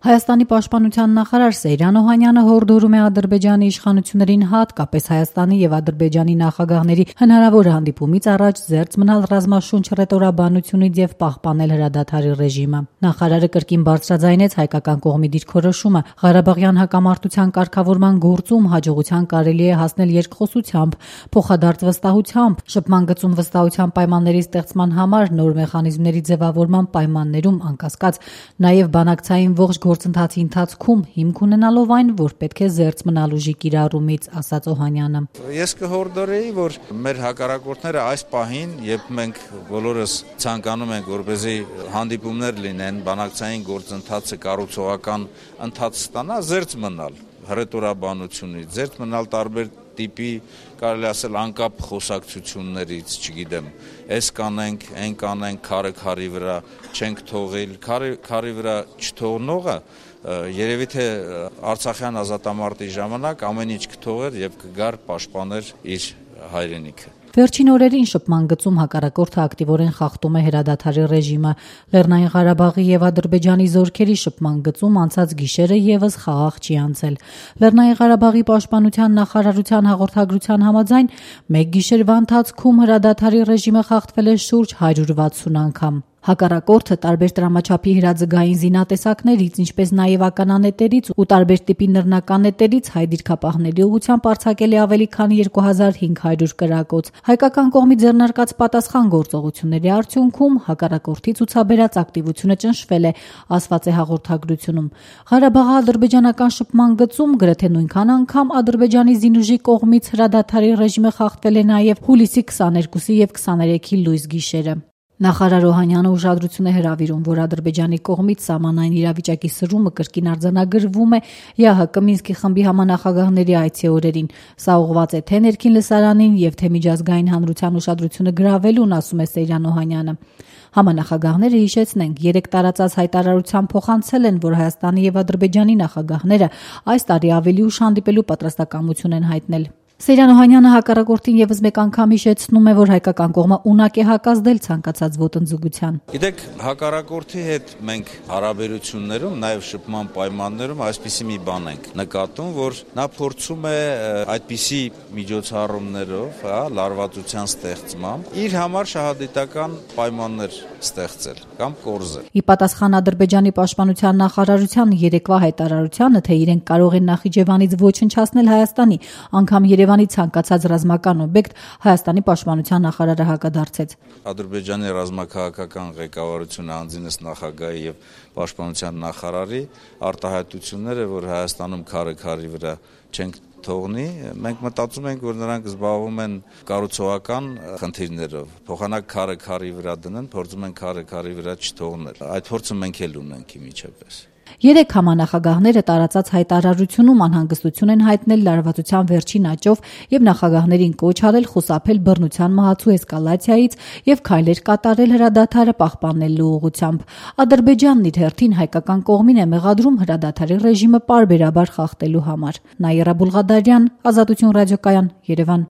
Հայաստանի պաշտպանության նախարար Սեյրան Օհանյանը հորդորում է Ադրբեջանի իշխանություններին հատկապես Հայաստանի եւ Ադրբեջանի նախագահների հնարավոր հանդիպումից առաջ զերծ մնալ ռազմաշունչ ռետորաբանությունից եւ պահպանել հրադադարի ռեժիմը։ Նախարարը կրկին բարձրաձայնեց հայկական կողմի դիրքորոշումը Ղարաբաղյան հակամարտության կարգավորման գործում հաջողության կարելի է հասնել երկխոսությամբ, փոխադարձ վստահությամբ, շփման գծում վստահության պայմանների ստեղծման համար նոր մեխանիզմների ձևավորման պայմաններում անկասկած նաեւ բանակցային ողջ գործընթացի ընթացքում հիմք ունենալով այն, որ պետք է զերծ մնալ ուժի կիրառումից, ասաց Օհանյանը։ Ես կհորդորեի, որ մեր հակառակորդները այս պահին, երբ մենք բոլորս ցանկանում ենք, որպեսզի հանդիպումներ լինեն, բանակցային գործընթացը կառուցողական ընթաց ստանա, զերծ մնալ հռետորաբանությունից, զերծ մնալ տարբեր տիպի, կարելի ասել անկապ խոսակցություններից, չգիտեմ, այս կանենք, այն կանենք, քարը քարի վրա չենք թողել, քարի վրա չթողնողը երևի թե Արցախյան ազատամարտի ժամանակ ամեն ինչ կթողեր եւ կգար պաշտպաներ իր հայրենիքը։ Վերջին օրերին շփման գծում հակառակորդը ակտիվորեն խախտում է հրադադարի ռեժիմը։ Լեռնային Ղարաբաղի եւ Ադրբեջանի զորքերի շփման գծում անցած գիշերը եւս խաղաղ չի անցել։ Լեռնային Ղարաբաղի պաշտպանության նախարարության հաղորդագրության համաձայն մեկ գիշերվա ընթացքում հրադադարի ռեժիմը խախտվել է շուրջ 160 անգամ։ Հակառակորդը տարբեր տրամաչափի հրաձգային զինատեսակներից, ինչպես նաև ականանետերից ու տարբեր տիպի նռնականետերից հայ դիրքապահների ուղղությամբ արձակել է ավելի քան 2500 կրակոց։ Հայկական կողմի ձեռնարկած պատասխան գործողությունների արդյունքում հակառակորդի ցուցաբերած ակտիվությունը ճնշվել է, ասված է հաղորդագրությունում։ Ղարաբաղ-ադրբեջանական շփման գծում գրեթե նույնքան անգամ Ադրբեջանի զինուժի կողմից հրադադարի ռեժիմը խախտվել է նաև հուլիսի 22-ի եւ 23-ի լույս գիշերը։ Նախարար Օհանյանը ուշադրություն է հրավիրում, որ Ադրբեջանի կողմից սահմանային իրավիճակի սրումը կրկին արձանագրվում է ԵԱՀԿ Մինսկի խմբի համանախագահների այցի օրերին։ Սա ուղղված է թե ներքին լսարանին եւ թե միջազգային հանրության ուշադրությունը գրավելուն, ասում է Սեյրան Օհանյանը։ Համանախագահները, հիշեցնենք, 3 տարածած հայտարարության փոխանցել են, որ Հայաստանի եւ Ադրբեջանի նախագահները այս տարի ավելի ուշ հանդիպելու պատրաստակամություն են հայտնել։ Սեյրան Օհանյանը հակառակորդին եւս մեկ անգամ հիշեցնում է, որ հայկական կողմը ունակ է հակազդել ցանկացած ոտնձգության։ Գիտեք, հակառակորդի հետ մենք հարաբերություններում, նաեւ շփման պայմաններում այսպիսի մի բան ենք նկատում, որ նա փորձում է այդպիսի միջոցառումներով, լարվածության ստեղծմամբ իր համար շահադիտական պայմաններ ստեղծել կամ կորզել։ Ի պատասխան Ադրբեջանի պաշտպանության նախարարության երեկվա հայտարարությանը, թե իրենք կարող են Նախիջևանից ոչնչացնել Հայաստանի, անգամ Երևանի ցանկացած ռազմական օբյեկտ, Հայաստանի պաշտպանության նախարարը հակադարձեց։ Ադրբեջանի ռազմաքաղաքական ղեկավարությունը անձինս նախագահի եւ պաշտպանության նախարարի արտահայտությունները, որ Հայաստանում քարի վրա չենք թողնի, մենք մտածում ենք, որ նրանք զբաղվում են կառուցողական խնդիրներով, փոխանակ քարի վրա դնեն, փորձում են քարի վրա չթողնել։ Այդ փորձը մենք էլ ունենք իմիջապես։ 3 համանախագահները տարածած հայտարարությունում անհանգստություն են հայտնել լարվածության վերջին աճով եւ նախագահներին կոչ արել խուսափել բռնության մահացու էսկալացիայից եւ քայլեր կատարել հրադադարը պահպանելու ուղղությամբ։ Ադրբեջանն իր հերթին հայկական կողմին է մեղադրում հրադադարի ռեժիմը պարբերաբար խախտելու համար։ Նաիրա Բուլղադարյան, Ազատություն ռադիոկայան, Երևան։